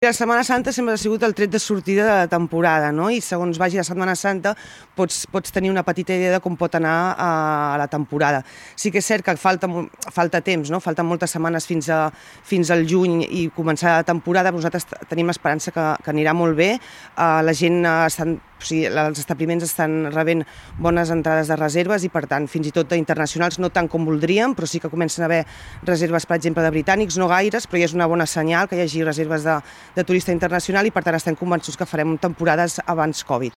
La Setmana Santa sempre ha sigut el tret de sortida de la temporada, no? I segons vagi la Setmana Santa pots tenir una petita idea de com pot anar a la temporada. Sí que és cert que falta temps, no? Falten moltes setmanes fins al juny i començar la temporada. Nosaltres tenim esperança que anirà molt bé. La gent els establiments estan rebent bones entrades de reserves i, per tant, fins i tot internacionals, no tant com voldríem, però sí que comencen a haver reserves, per exemple, de britànics, no gaires, però ja és una bona senyal que hi hagi reserves de turista internacional i, per tant, estem convençuts que farem temporades abans Covid.